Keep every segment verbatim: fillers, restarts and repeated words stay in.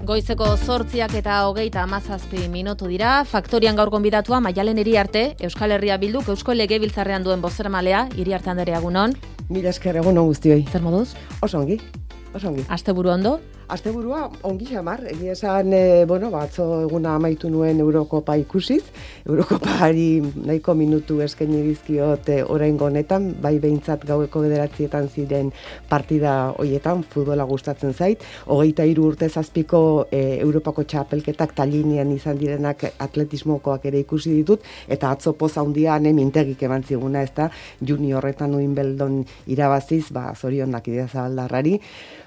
Goizeko zortziak eta hogeita hamazazpi minutu dira. Faktorian gaur gonbidatua Maialen Iriarte, Euskal Herria Bilduk Eusko Legebiltzarrean duen bozermalea. Iriarte Anderea, egunon. Mila esker, egunon guztioi. Zer moduz? Oso ongi, oso ongi. Asteburu ondo? Asteburua ongi xamar, egia esan, e, bueno, batzo eguna amaitu nuen Eurokopa ikusiz, Eurokopari nahiko minutu eskaini dizkiot e, oraingo honetan, bai behintzat gaueko bederatzietan ziren partida hoietan, futbola gustatzen zait, hogeita hiru urte zazpiko e, Europako txapelketak Tallinean izan direnak atletismokoak ere ikusi ditut, eta atzo poza handian mintegik eman ziguna, ez da, juniorretan Wimbledon irabaziz, ba, zorionak idea zabaldarrari,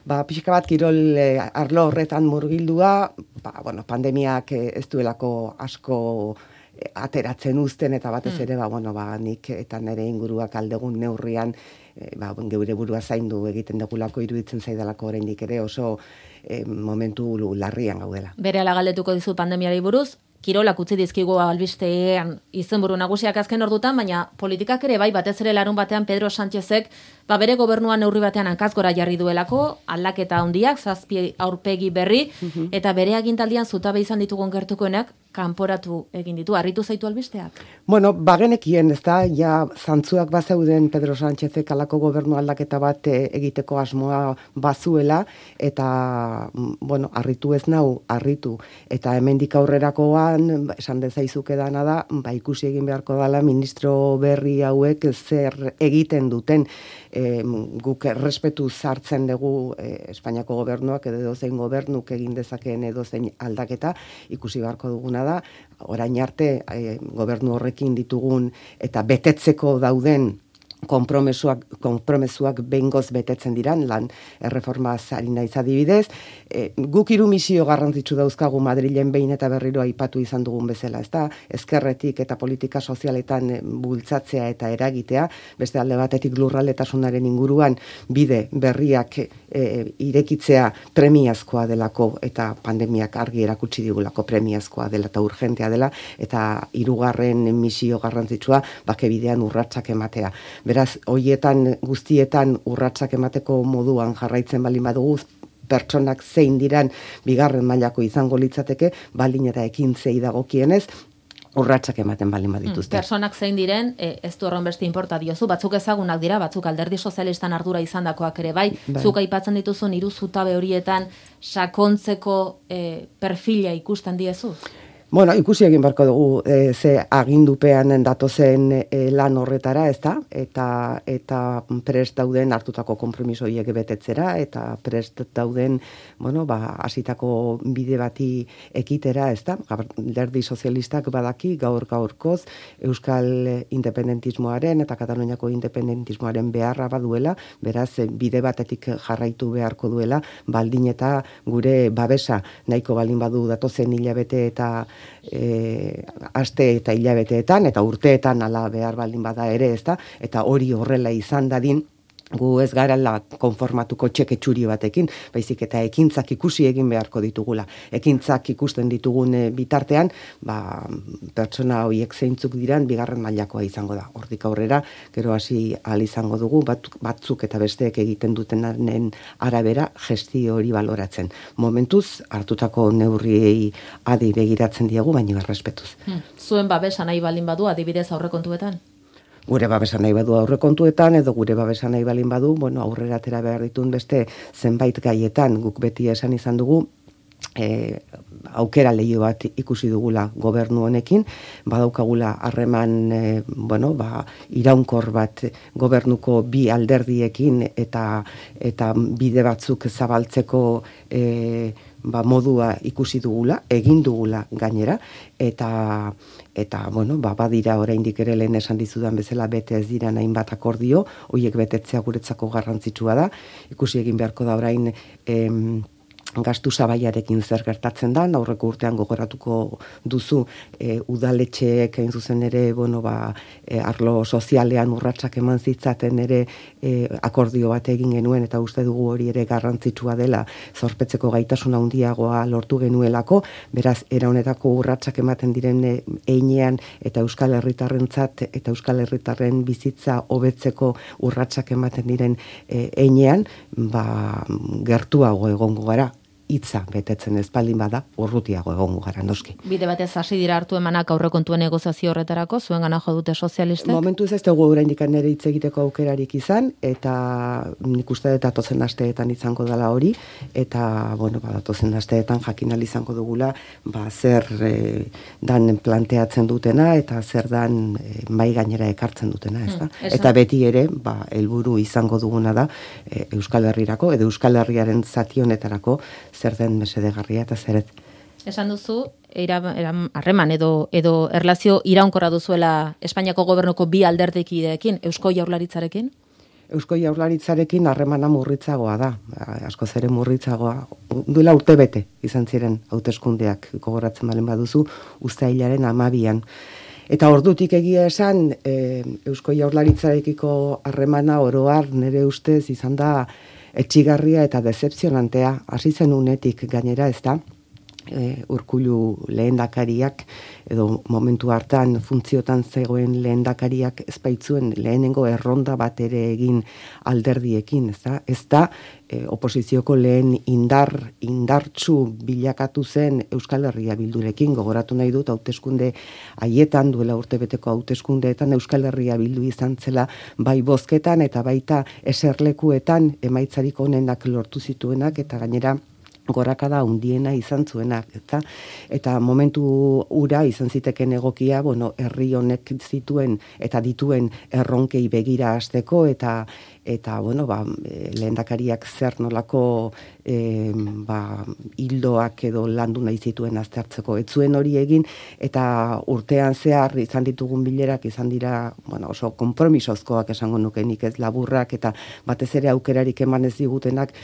ba, pixka bat kirol e, arlo horretan murgildua, ba, bueno, pandemiak ez duelako asko ateratzen uzten, eta batez ere, ba, bueno, ba, nik eta nire inguruak aldegun neurrian, e, ba, geure burua zaindu egiten dugulako, iruditzen zaidalako oraindik ere oso e, momentu larrian gaudela. Berehala galdetuko dizut pandemiari buruz, kirolak utzi dizkigu albistean izenburu nagusiak azken ordutan, baina politikak ere bai, batez ere larun batean Pedro Sánchezek ba bere gobernuan neurri batean hankaz gora jarri duelako, aldaketa handiak, zazpi aurpegi berri, eta bere agintaldian zutabe izan ditugun gertukoenak kanporatu egin ditu. Harritu zaitu albisteak? Bueno, bagenekien, ez da, ja zantzuak bazeuden Pedro Sánchezek alako gobernu aldaketa bat e, egiteko asmoa bazuela, eta, bueno, harritu ez nau, harritu, eta hemendik aurrerakoan, esan dezaizuke dana da, ba, ikusi egin beharko dela ministro berri hauek zer egiten duten, e, guk errespetu zartzen dugu e, Espainiako gobernuak edo edozein gobernuk egin dezakeen edozein aldaketa, ikusi beharko duguna da, orain arte e, gobernu horrekin ditugun eta betetzeko dauden konpromesuak, konpromesuak behingoz betetzen diran, lan erreformaz ari naiz adibidez. E, guk hiru misio garrantzitsu dauzkagu Madrilen behin eta berriro aipatu izan dugun bezala, ezta? Ezkerretik eta politika sozialetan bultzatzea eta eragitea, beste alde batetik lurraldetasunaren inguruan bide berriak e, irekitzea premiazkoa delako, eta pandemiak argi erakutsi digulako premiazkoa dela eta urgentea dela, eta hirugarren misio garrantzitsua bake bidean urratsak ematea. Beraz, hoietan guztietan urratsak emateko moduan jarraitzen baldin badugu, pertsonak zein diran bigarren mailako izango litzateke, baldin eta ekintzei dagokienez, urratsak ematen baldin badituzte. Pertsonak zein diren, e, ez du horren beste inporta diozu, batzuk ezagunak dira, batzuk alderdi sozialistan ardura izandakoak ere bai, bai. Zuk aipatzen dituzun hiru zutabe horietan sakontzeko e, perfila ikusten diezu? Bueno, ikusi egin beharko dugu e, ze agindupean datozen e, lan horretara, ez da? Eta, eta prest dauden hartutako konpromiso horiek betetzera, eta prest dauden, bueno, ba, hasitako bide bati ekitera, ez da? Alderdi sozialistak badaki gaur gaurkoz Euskal independentismoaren eta Kataluniako independentismoaren beharra baduela, beraz bide batetik jarraitu beharko duela, baldin eta gure babesa nahiko baldin badu datozen hilabete eta E, aste eta hilabeteetan eta urteetan ala behar baldin bada ere, ezta, eta hori horrela izan dadin, gu ez garala konformatuko txeke txuri batekin, baizik eta ekintzak ikusi egin beharko ditugula. Ekintzak ikusten ditugun bitartean, ba, pertsona horiek zeintzuk diran bigarren mailakoa izango da. Hortik aurrera, gero hasi ahal izango dugu, bat, batzuk eta besteek egiten dutenaren arabera gestio hori baloratzen. Momentuz, hartutako neurriei adi begiratzen diegu, baina errespetuz. Hmm. Zuen babesa nahi baldin badu, adibidez aurrekontuetan? Gure babesa nahi badu aurrekontuetan, edo gure babesa nahi balin badu, bueno, aurrera atera behar ditun beste zenbait gaietan, guk beti esan izan dugu, e, aukera lehio bat ikusi dugula gobernu honekin, badaukagula harreman e, bueno, ba, iraunkor bat gobernuko bi alderdiekin eta eta bide batzuk zabaltzeko e, ba, modua ikusi dugula, egin dugula gainera, eta eta bueno, ba, badira oraindik ere lehen esan dizudan bezala bete ez dira hainbat akordio, horiek betetzea guretzako garrantzitsua da, ikusi egin beharko da orain em, gastu sabaiarekin zer gertatzen da, aurreko urtean gogoratuko duzu e, udaletxeek hain zuzen ere, bueno, ba, e, arlo sozialean urratsak eman zitzaten ere e, akordio bat egin genuen, eta uste dugu hori ere garrantzitsua dela, zorpetzeko gaitasun handiagoa lortu genuelako, beraz, era honetako urratsak ematen diren heinean eta Euskal Herritarrentzat eta Euskal Herritarren bizitza hobetzeko urratsak ematen diren heinean, ba, gertuago egongo gara. hitza betetzen ez baldin bada, urrutiago egongo gara noski. Bide batez hasi dira hartu emanak aurrekontuen negoziazio horretarako, zuen gana jo dute sozialistek? Momentu ez ez dugu oraindik nere hitz egiteko aukerarik izan, eta nik uste dut datozen asteetan izango dela hori, eta, bueno, ba, datozen asteetan jakinal izango dugula, ba, zer e, dan planteatzen dutena, eta zer dan e, mai gainera ekartzen dutena, ez da? Hmm, eta beti ere, ba, helburu izango duguna da, e, Euskal Herrirako, edo Euskal Herriaren zati honetarako, zer den mesedegarria eta zeret. Esan duzu, harreman edo edo erlazio iraunkorra duzuela Espainiako gobernuko bi alderdikideekin, Eusko Jaurlaritzarekin? Eusko Jaurlaritzarekin harremana murritzagoa da, askoz ere murritzagoa. Duela urte bete izan ziren hauteskundeak gogoratzen balen baduzu, uztailaren hamabian. Eta ordutik egia esan, e, Eusko Jaurlaritzarekiko harremana oroar nire ustez izan da etxigarria eta decepzionantea, hasi zen unetik gainera, ez da, e, Urkullu lehendakariak, edo momentu hartan funtziotan zegoen lehendakariak ezpaitzuen lehenengo erronda bat ere egin alderdiekin, ez da, ez da, e, oposizioko lehen indar, indartsu bilakatu zen Euskal Herria Bildurekin, gogoratu nahi dut, hauteskunde haietan, duela urtebeteko hauteskundeetan Euskal Herria Bildu izan zela, bai bozketan eta baita eserlekuetan emaitzarik onenak lortu zituenak, eta gainera gorakada hundiena izan zuenak, eta, eta momentu ura izan ziteken egokia, bueno, herri honek zituen eta dituen erronkei begira hasteko, eta eta bueno, ba, lehendakariak zer nolako e, ba, hildoak edo landu nahi zituen aztertzeko. Ez zuen hori egin, eta urtean zehar izan ditugun bilerak izan dira, bueno, oso konpromisozkoak esango nukenik, ez laburrak, eta batez ere aukerarik eman ez digutenak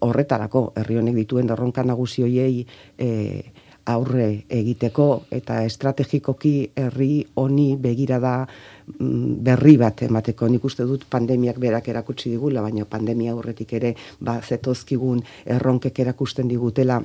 horretarako, herri honek dituen erronka nagusi hoiei e, aurre egiteko, eta estrategikoki herri honi begirada berri bat emateko. Nik uste dut pandemiak berak erakutsi digula, baina pandemia aurretik ere ba, zetozkigun erronkek erakusten digutela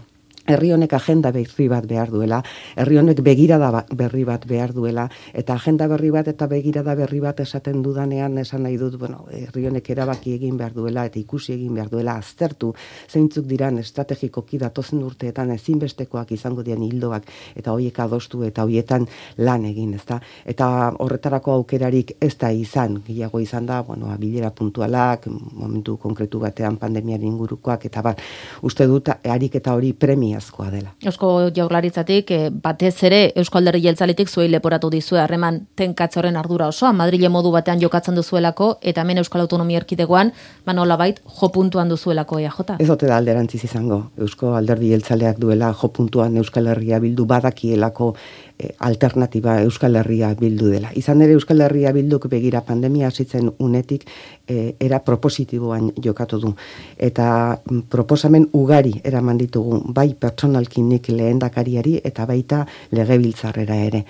herri honek agenda berri bat behar duela, herri honek begirada berri bat behar duela, eta agenda berri bat eta begirada berri bat esaten dudanean esan nahi dut, bueno, herri honek erabaki egin behar duela eta ikusi egin behar duela, aztertu zeintzuk diran estrategikoki datozen urteetan ezinbestekoak izango dian hildoak, eta hoiek adostu eta hoietan lan egin, ezta? Eta horretarako aukerarik ez da izan, gehiago izan da, bueno, bilera puntualak, momentu konkretu batean pandemiaren ingurukoak, eta bat, uste dut ariketa hori premia askoa dela. Eusko Jaurlaritzatik eh, batez ere Eusko Alderdi Jeltzaletik zuei leporatu dizue harreman tenkatze horren ardura osoa, Madrile modu batean jokatzen duzuelako, eta hemen Euskal Autonomia Erkidegoan, ba nolabait jo puntuan duzuelako E A J. Ez ote da alderantziz izango. Eusko Alderdi Jeltzaleak duela jo puntuan Euskal Herria Bildu badakielako eh, alternatiba Euskal Herria Bildu dela. Izan ere Euskal Herria Bilduk begira pandemia hasitzen unetik eh, era propositiboan jokatu du. Eta mm, proposamen ugari eraman ditugu, bai pertsonalkinik lehendakariari eta baita legebiltzarrera ere.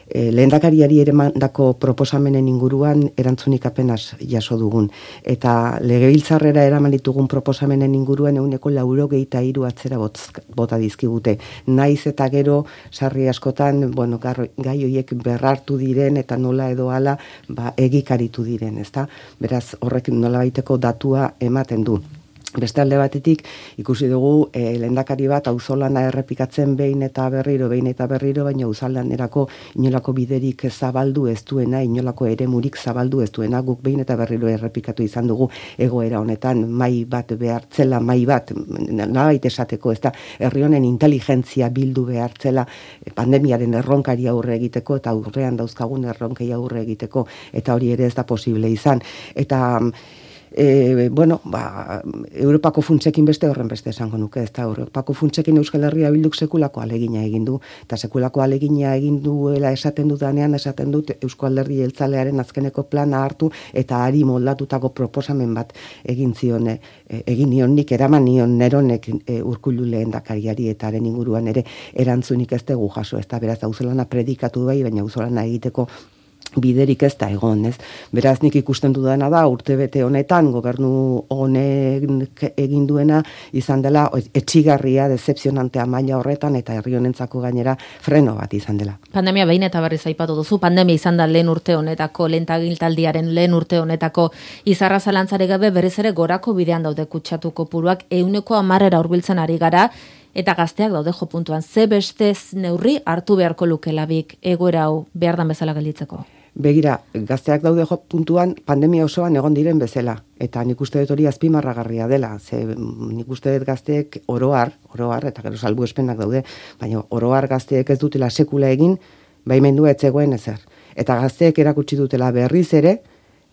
E, lehendakariari ere mandako proposamenen inguruan erantzunik apenas jaso dugun. Eta legebiltzarrera eraman ditugun proposamenen inguruan euneko laurogeita hiru atzera bota dizkigute. Naiz eta gero sarri askotan, bueno, gai horiek berrartu diren eta nola edo hala ba, egikaritu diren, ezta? Beraz, horrek nolabaiteko datua ematen du. Beste alde batetik, ikusi dugu e, lehendakari bat auzolana errepikatzen behin eta berriro, behin eta berriro, baina auzolanerako inolako biderik zabaldu ez duena, inolako eremurik zabaldu ez duena, guk behin eta berriro errepikatu izan dugu egoera honetan, mai bat behartzela, mai bat, nolabait esateko, ez da, herri honen inteligentzia bildu behartzela pandemiaren erronkari aurre egiteko, eta aurrean dauzkagun erronkei aurre egiteko, eta hori ere ez da posible izan. Eta E, bueno, ba, Europako funtsekin beste horren beste esango nuke, ez da, Europako funtsekin Euskal Herria Bilduk sekulako alegina egin du, eta sekulako alegina egin duela esaten dudanean, esaten dut Eusko Alderdi Jeltzalearen azkeneko plana hartu, eta ari moldatutako proposamen bat egin zion, e, egin nion nik, eraman nion neronek e, Urkullu lehendakariari eta haren inguruan ere erantzunik ez dugu jaso, ez da, beraz, auzolana predikatu bai, baina auzolana egiteko biderik ez da egon, ez? Beraz, nik ikusten dudana da, urtebete honetan, gobernu honek egin duena, izan dela, etxigarria, decepzionantea maila horretan, eta herri honentzako gainera freno bat izan dela. Pandemia behin eta berriz aipatu duzu, pandemia izan da lehen urte honetako, lehen tagiltaldiaren lehen urte honetako, izarra zalantzari gabe berriz ere gorako bidean daude kutsatu kopuruak, ehuneko hamarrera hurbiltzen ari gara, eta gazteak daude jo puntuan. Ze beste neurri hartu beharko lukelabik egoera hau behar dan bezala gelditzeko? Begira, gazteak daude jo puntuan pandemia osoan egon diren bezala. Eta nik uste dut hori azpimarragarria dela. Ze nik uste dut gazteek oroar, oroar, eta gero salbuespenak daude, baina oroar gazteek ez dutela sekula egin, baimendua ez zegoen ezer. Eta gazteek erakutsi dutela berriz ere,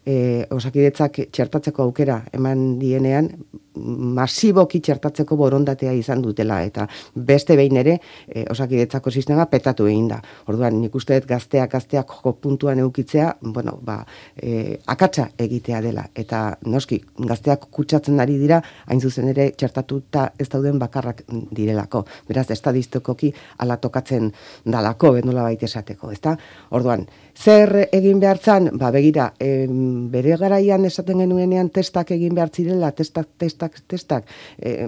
e, Osakidetzak txertatzeko aukera eman dienean, masiboki txertatzeko borondatea izan dutela, eta beste behin ere e, Osakidetzako sistema petatu egin da. Orduan, nik uste dut gazteak gazteak joko puntuan eukitzea, bueno, ba, e, akatsa egitea dela, eta noski, gazteak kutsatzen ari dira, hain zuzen ere txertatuta ez dauden bakarrak direlako. Beraz, estadistikoki ala tokatzen dalako, nola baita esateko, ezta? Orduan, zer egin behartzan? Ba, begira, e, bere garaian esaten genuenean testak egin behar zirela, testak, testak, testak, e,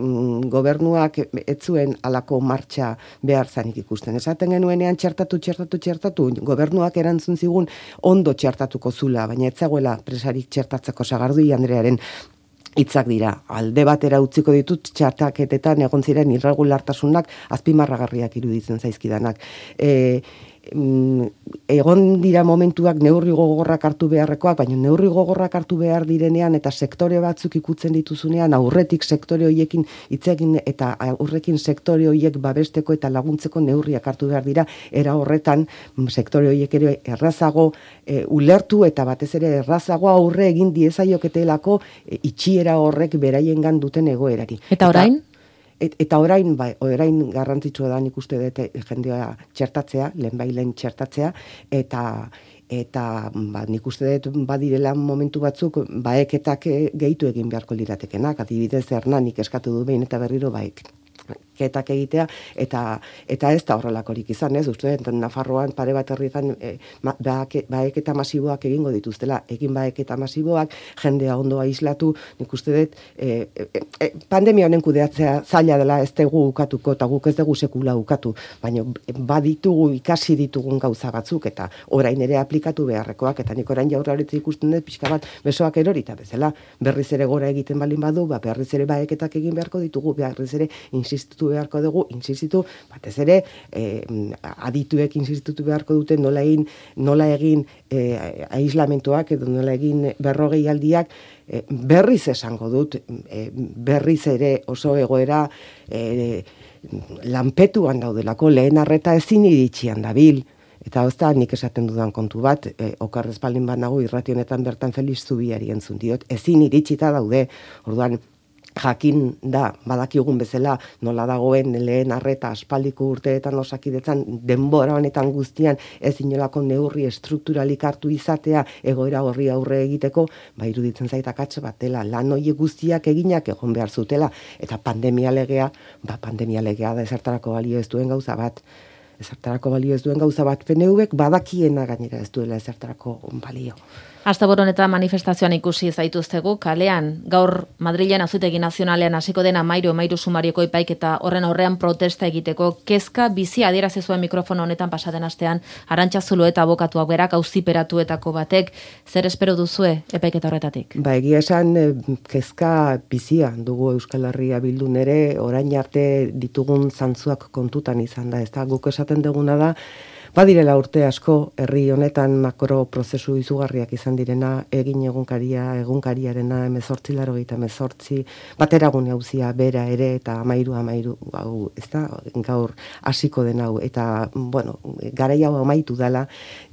gobernuak ez zuen alako martxa behar zanik ikusten. Esaten genuenean txertatu, txertatu, txertatu, gobernuak erantzun zigun ondo txertatuko zula, baina ez zegoela presarik txertatzeko. Sagardui Andrearen hitzak dira. Alde batera utziko ditut txertaketetan egon ziren irregulartasunak azpimarragarriak iruditzen zaizkidanak. E, egon dira momentuak neurri gogorrak hartu beharrekoak, baina neurri gogorrak hartu behar direnean eta sektore batzuk ikutzen dituzunean, aurretik sektore horiekin hitzegin eta aurrekin sektore horiek babesteko eta laguntzeko neurriak hartu behar dira, era horretan sektore horiek ere errazago e, ulertu eta batez ere errazago aurre egin diezaioketelako e, itxiera horrek beraiengan duten egoerari. Eta orain? Et, eta orain, bai, orain garrantzitsua da nik uste dut jendea txertatzea, lehen bai lehen txertatzea, eta eta ba, nik uste dut badirela momentu batzuk baeketak gehitu egin beharko liratekenak, adibidez Hernanik eskatu du behin eta berriro baek. Ketak egitea, eta eta ez da horrelakorik izan, ez? Uste dut, Nafarroan pare bat herrietan e, baeketa masiboak egingo dituztela, egin baeketa masiboak, jendea ondo aislatu, nik uste dut, e, e, e, pandemia honen kudeatzea zaila dela ez dugu ukatuko, eta guk ez dugu sekula ukatu, baina baditugu ikasi ditugun gauza batzuk, eta orain ere aplikatu beharrekoak, eta nik orain Jaurlaritza ikusten dut, pixka bat besoak erorita bezala, berriz ere gora egiten balin badu, ba, berriz ere baeketak egin beharko ditugu, berriz ere insistitu beharko dugu, insistitu, batez ere, eh, adituek insistitu beharko dute nola egin, nola egin eh, aislamentoak edo nola egin berrogei aldiak, eh, berriz esango dut, eh, berriz ere oso egoera eh, lanpetuan daudelako, lehen arreta ezin iritsian dabil, eta hozta nik esaten dudan kontu bat, e, okarrez baldin bat nago irrati honetan bertan Felix Zubiari entzun diot, ezin iritsita daude, orduan, jakin da, badakigun bezala nola dagoen lehen arreta aspaldiko urteetan Osakidetzan denbora honetan guztian ez inolako neurri estrukturalik hartu izatea egoera horri aurre egiteko, ba iruditzen zait akats bat dela, lan horiek guztiak eginak egon behar zutela, eta pandemia legea, ba pandemia legea da ezertarako balio ez duen gauza bat, ezertarako balio ez duen gauza bat, P N Vek badakiena gainera ez duela ezertarako balio. Asteburuan eta manifestazioan ikusi zaituztegu, kalean, gaur Madrilen Auzitegi Nazionalean hasiko den Amairu Amairu sumarioko epaiketa horren aurrean protesta egiteko, kezka bizi adierazi zuen mikrofono honetan pasaden astean, Arantxa Zulueta abokatuak berak auziperatuetako batek, zer espero duzue epaiketa horretatik? Ba, egia esan kezka bizia dugu Euskal Herria Bildun ere, orain arte ditugun zantzuak kontutan izan da, ez da, guk esaten duguna da, badirela urte asko herri honetan makro prozesu izugarriak izan direna, egin egunkaria, egunkariarena, emezortzi laro gita emezortzi, bateragune hauzia bera ere, eta amairu, amairu, hau, ez da, gaur hasiko den hau, eta, bueno, garai hau amaitu dela,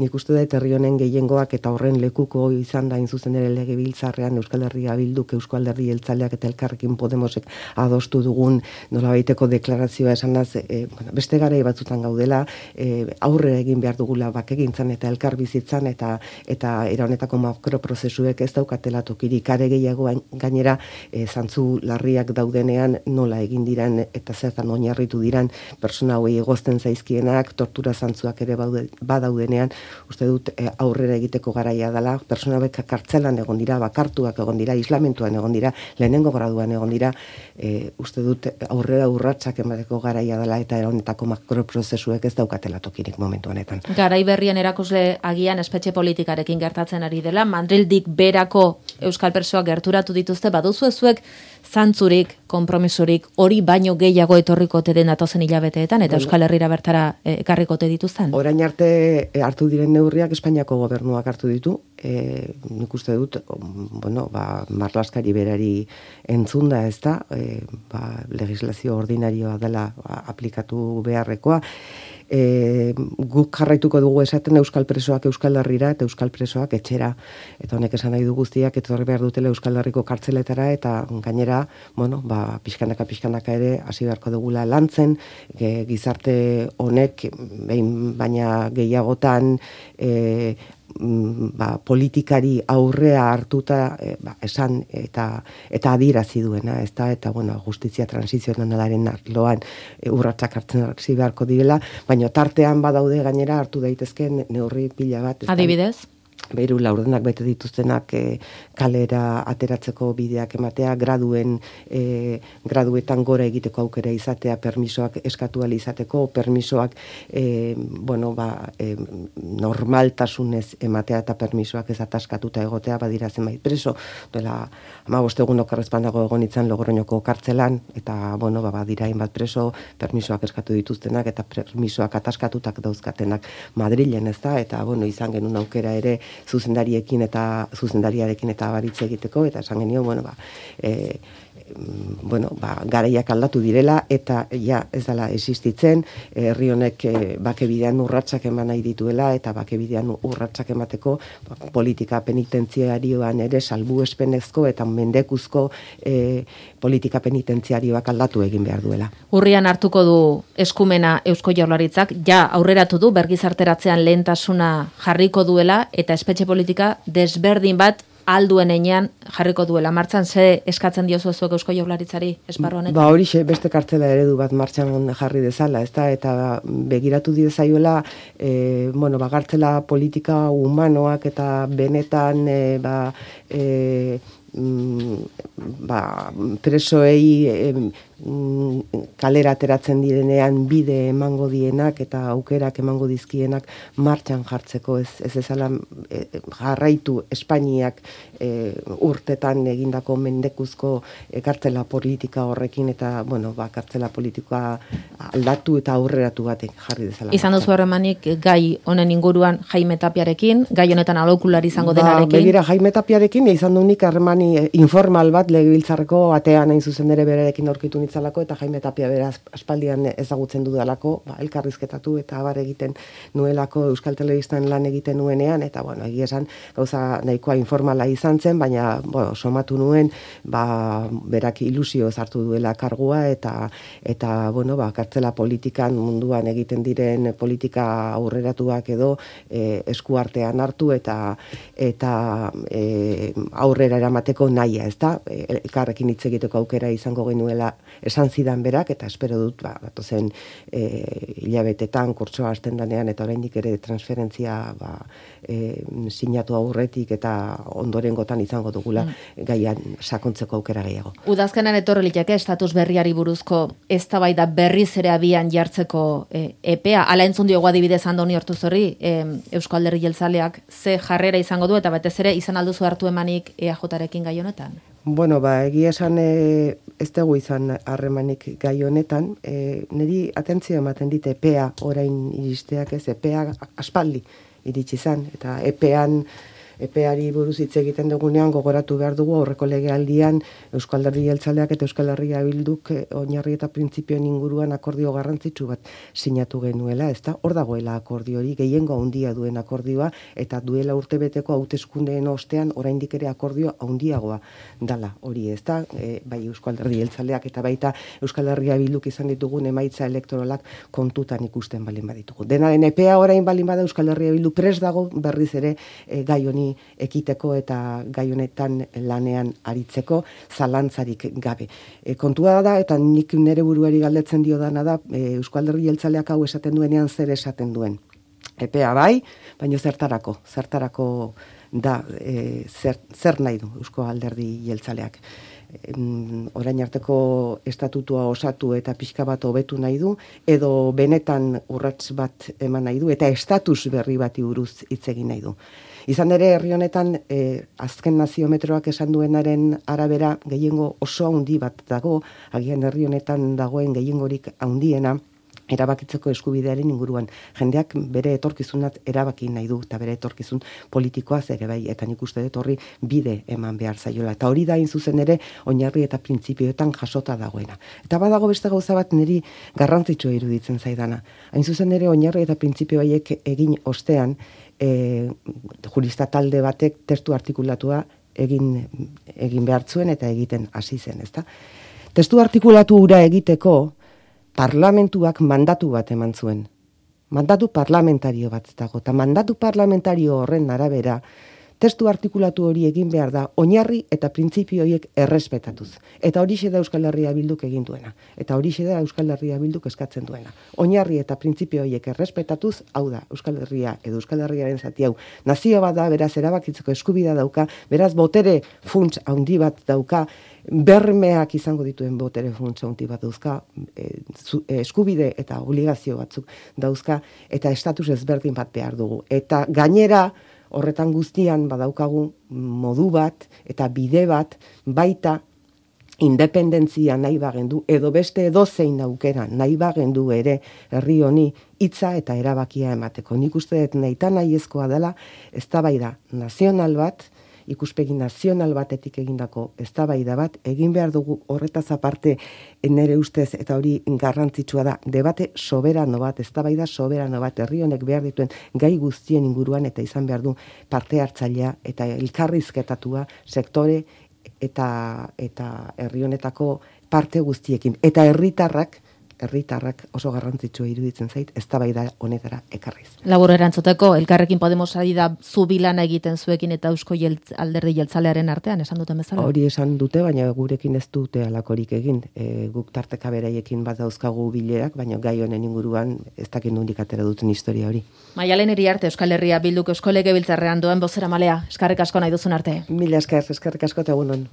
nik uste dut herri honen gehiengoak eta horren lekuko izan da inzuzen ere legebiltzarrean Euskal Herria Bilduk, Eusko Alderdi Jeltzaleak eta Elkarrekin Podemosek adostu dugun nolabaiteko deklarazioa esanaz, e, bueno, beste garai batzutan gaudela, dela, e, aurre egin behar dugula bakegintzan eta elkarbizitzan eta eta era honetako makroprozesuek ez daukatela tokirik, are gehiago gainera e, zantzu larriak daudenean nola egin diran eta zertan oinarritu diran persona hauei egozten zaizkienak, tortura zantzuak ere badaudenean, uste dut e, aurrera egiteko garaia dela, persona hauek kartzelan egon dira, bakartuak egon dira, islamentuan egon dira, lehenengo graduan egon dira, e, uste dut aurrera urratsak emateko garaia dela eta honetako makroprozesuek ez daukatela tokirik momentu honetan. Garai berrien erakusle agian espetxe politikarekin gertatzen ari dela, Madrildik berako euskal presoak gerturatu dituzte, baduzu ezuek zantzurik, konpromisorik, hori baino gehiago etorriko te den datozen hilabeteetan, eta Euskal Herrira bertara ekarriko te dituzten? Orain arte hartu diren neurriak Espainiako gobernuak hartu ditu, e, nik uste dut, bueno, ba, marlaskari berari entzunda ez da, e, ba, legislazio ordinarioa dela ba, aplikatu beharrekoa, E, guk jarraituko dugu esaten euskal presoak Euskal Herrira eta euskal presoak etxera, eta honek esan nahi du guztiak etorri behar dutela Euskal Herriko kartzeletara eta gainera, bueno, ba, pixkanaka pixkanaka ere hasi beharko dugula lantzen, e, gizarte honek behin baina gehiagotan e, ba, politikari aurrea hartuta e, ba, esan eta eta adierazi duena, ezta, eta bueno, justizia transizionalaren arloan e, urratsak hartzen hasi beharko direla, baina tartean badaude gainera hartu daitezken neurri pila bat. Ezta? Adibidez? Behiru laurdenak bete dituztenak e, kalera ateratzeko bideak ematea, graduen e, graduetan gora egiteko aukera izatea, permisoak eskatu ahal izateko, permisoak e, bueno, ba, e, normaltasunez ematea eta permisoak ez ataskatuta egotea, badira zenbait preso, duela hamabost egun okerrezpanago egon itzan Logroñoko kartzelan, eta bueno, ba, badira hainbat preso, permisoak eskatu dituztenak eta permisoak ataskatutak dauzkatenak Madrilen, ez da, eta bueno, izan genuen aukera ere zuzendariekin eta zuzendariarekin eta baritz egiteko, eta esan genio, bueno, ba, e, bueno, ba, garaiak aldatu direla, eta ja, ez dela existitzen, herri honek e, bakebidean urratsak eman nahi dituela, eta bakebidean urratsak emateko ba, politika penitentziarioan ere salbuespenezko eta mendekuzko e, politika penitentziarioak aldatu egin behar duela. Urrian hartuko du eskumena Eusko Jaurlaritzak, ja aurreratu du bergizarteratzean lehentasuna jarriko duela, eta espetxe politika desberdin bat alduen enean jarriko duela. Martxan, ze eskatzen diozu zuek Eusko Jaurlaritzari esparru honetan? Ba hori beste kartzela eredu bat martxan jarri dezala, ezta, eta begiratu dizaiola, e, bueno, ba, kartzela politika humanoak eta benetan e, ba, e, ba, presoei e, kalera ateratzen direnean bide emango dienak eta aukerak emango dizkienak martxan jartzeko, ez ez ezala e, jarraitu Espainiak e, urtetan egindako mendekuzko e, kartzela politika horrekin, eta bueno, ba, kartzela politika aldatu eta aurreratu batek jarri dezala. Izan duzu harremanik gai honen inguruan Jaime Tapiarekin, gai honetan alokulari izango ba, denarekin? Begira, Jaime Tapiarekin izan du nik harremani informal bat legebiltzarreko atean hain zuzen ere berarekin aurkitu nitzalako, eta Jaime Tapia bera aspaldian ezagutzen dudalako, ba, elkarrizketatu eta abar egiten nuelako Euskal Telebistan lan egiten nuenean, eta bueno, egia esan gauza nahikoa informala izan zen, baina bueno, somatu nuen ba, berak ilusio hartu duela kargua, eta eta bueno, ba, kartzela politikan munduan egiten diren politika aurreratuak edo e, eskuartean hartu eta eta e, aurrera eramateko nahia, ezta? Elkarrekin hitz egiteko aukera izango genuela esan zidan berak, eta espero dut, ba, datozen e, hilabetetan kurtsoa hasten danean, eta oraindik ere transferentzia ba, e, sinatu aurretik eta ondorengotan izango dugula mm. gaian sakontzeko aukera gehiago. Udazkenan etorri liteke estatus berriari buruzko eztabaida berriz ere abian jartzeko e, epea, ala entzun diogu adibidez Andoni Ortuzorri, e, Eusko Alderdi Jeltzaleak ze jarrera izango du, eta batez ere izan alduzu hartu emanik E A J-rekin gai honetan? Bueno, ba, egia esan e, ez dugu izan harremanik gai honetan, e, niri atentzio ematen dit epea orain iristeak, ez, epea aspaldi iritsi izan, eta epean epeari buruz hitz egiten dugunean gogoratu behar dugu aurreko legealdian Euskal Alderdi Jeltzaleak eta Euskal Herria Bilduk oinarri eta printzipioen inguruan akordio garrantzitsu bat sinatu genuela, ezta? Hor dagoela akordio hori, gehiengo handia duen akordioa eta duela urtebeteko hauteskundeen ostean oraindik ere akordio handiagoa dala hori, ezta? E, bai Euskal Alderdi Jeltzaleak eta baita Euskal Herria Bilduk izan ditugun emaitza elektoralak kontutan ikusten balin baditugu. Denaren epea orain balin bada Euskal Herria Bildu prest dago berriz ere e, gai honi ekiteko eta gai honetan lanean aritzeko zalantzarik gabe. E, kontua da eta nik nere buruari galdetzen dio dana da e, Euskal Herria Jeltzaleak hau esaten duenean zer esaten duen. Epea bai, baina zertarako, zertarako da e, zer, zer nahi du Eusko Alderdi Jeltzaleak. Orain arteko estatutua osatu eta pixka bat hobetu nahi du, edo benetan urrats bat eman nahi du, eta estatus berri bati buruz hitz egin nahi du. Izan ere, herri honetan, eh, azken naziometroak esan duenaren arabera gehiengo oso handi bat dago, agian herri honetan dagoen gehiengorik handiena, erabakitzeko eskubidearen inguruan. Jendeak bere etorkizunat erabaki nahi du, eta bere etorkizun politikoaz ere bai, eta nik uste dut horri bide eman behar zaiola. Eta hori da hain zuzen ere, oinarri eta printzipioetan jasota dagoena. Eta badago beste gauza bat niri garrantzitsua iruditzen zaidana. Hain zuzen ere, oinarri eta printzipio haiek egin ostean, e, jurista talde batek testu artikulatua egin, egin behar zuen eta egiten hasi zen, ezta? Testu artikulatu hura egiteko, parlamentuak mandatu bat eman zuen. Mandatu parlamentario bat dago. Eta mandatu parlamentario horren arabera, testu artikulatu hori egin behar da, oinarri eta printzipio horiek errespetatuz. Eta horixe da Euskal Herria Bilduk egin duena. Eta horixe da Euskal Herria Bilduk eskatzen duena. Oinarri eta printzipio horiek errespetatuz, hau da, Euskal Herria edo Euskal Herriaren zati hau. Nazio bat da, beraz erabakitzeko eskubidea dauka, beraz botere funts handi bat dauka, bermeak izango dituen botere funtsa handi bat dauzka, e, zu, e, eskubide eta obligazio batzuk dauzka, eta estatus ezberdin bat behar dugu. Eta gainera, horretan guztian badaukagu modu bat eta bide bat baita independentzia nahi bagendu edo beste edozein aukera nahi bagendu ere herri honi hitza eta erabakia emateko. Nik uste dut nahita nahiezkoa dela eztabaida nazional bat, ikuspegi nazional batetik egindako eztabaida bat egin behar dugu horretaz aparte nere ustez eta hori garrantzitsua da debate soberano bat, eztabaida soberano bat herri honek behar dituen gai guztien inguruan eta izan behar du parte hartzailea eta elkarrizketatua sektore eta eta herri honetako parte guztiekin eta herritarrak herritarrak oso garrantzitsua iruditzen zait eztabaida honetara ekarriz. Labur erantzuteko, Elkarrekin Podemos ari da zu bilana egiten zuekin eta Eusko jeltz, Alderdi Jeltzalearen artean, esan duten bezala? Hori esan dute, baina gurekin ez dute alakorik egin. E, guk tarteka beraiekin bat dauzkagu bilerak, baina gai honen inguruan ez dakit nondik atera duten historia hori. Maialen Iriarte, Euskal Herria Bilduk Eusko Legebiltzarrean duen bozeramailea, eskerrik asko nahi duzun arte. Mila esker, eskerrik asko eta egunon.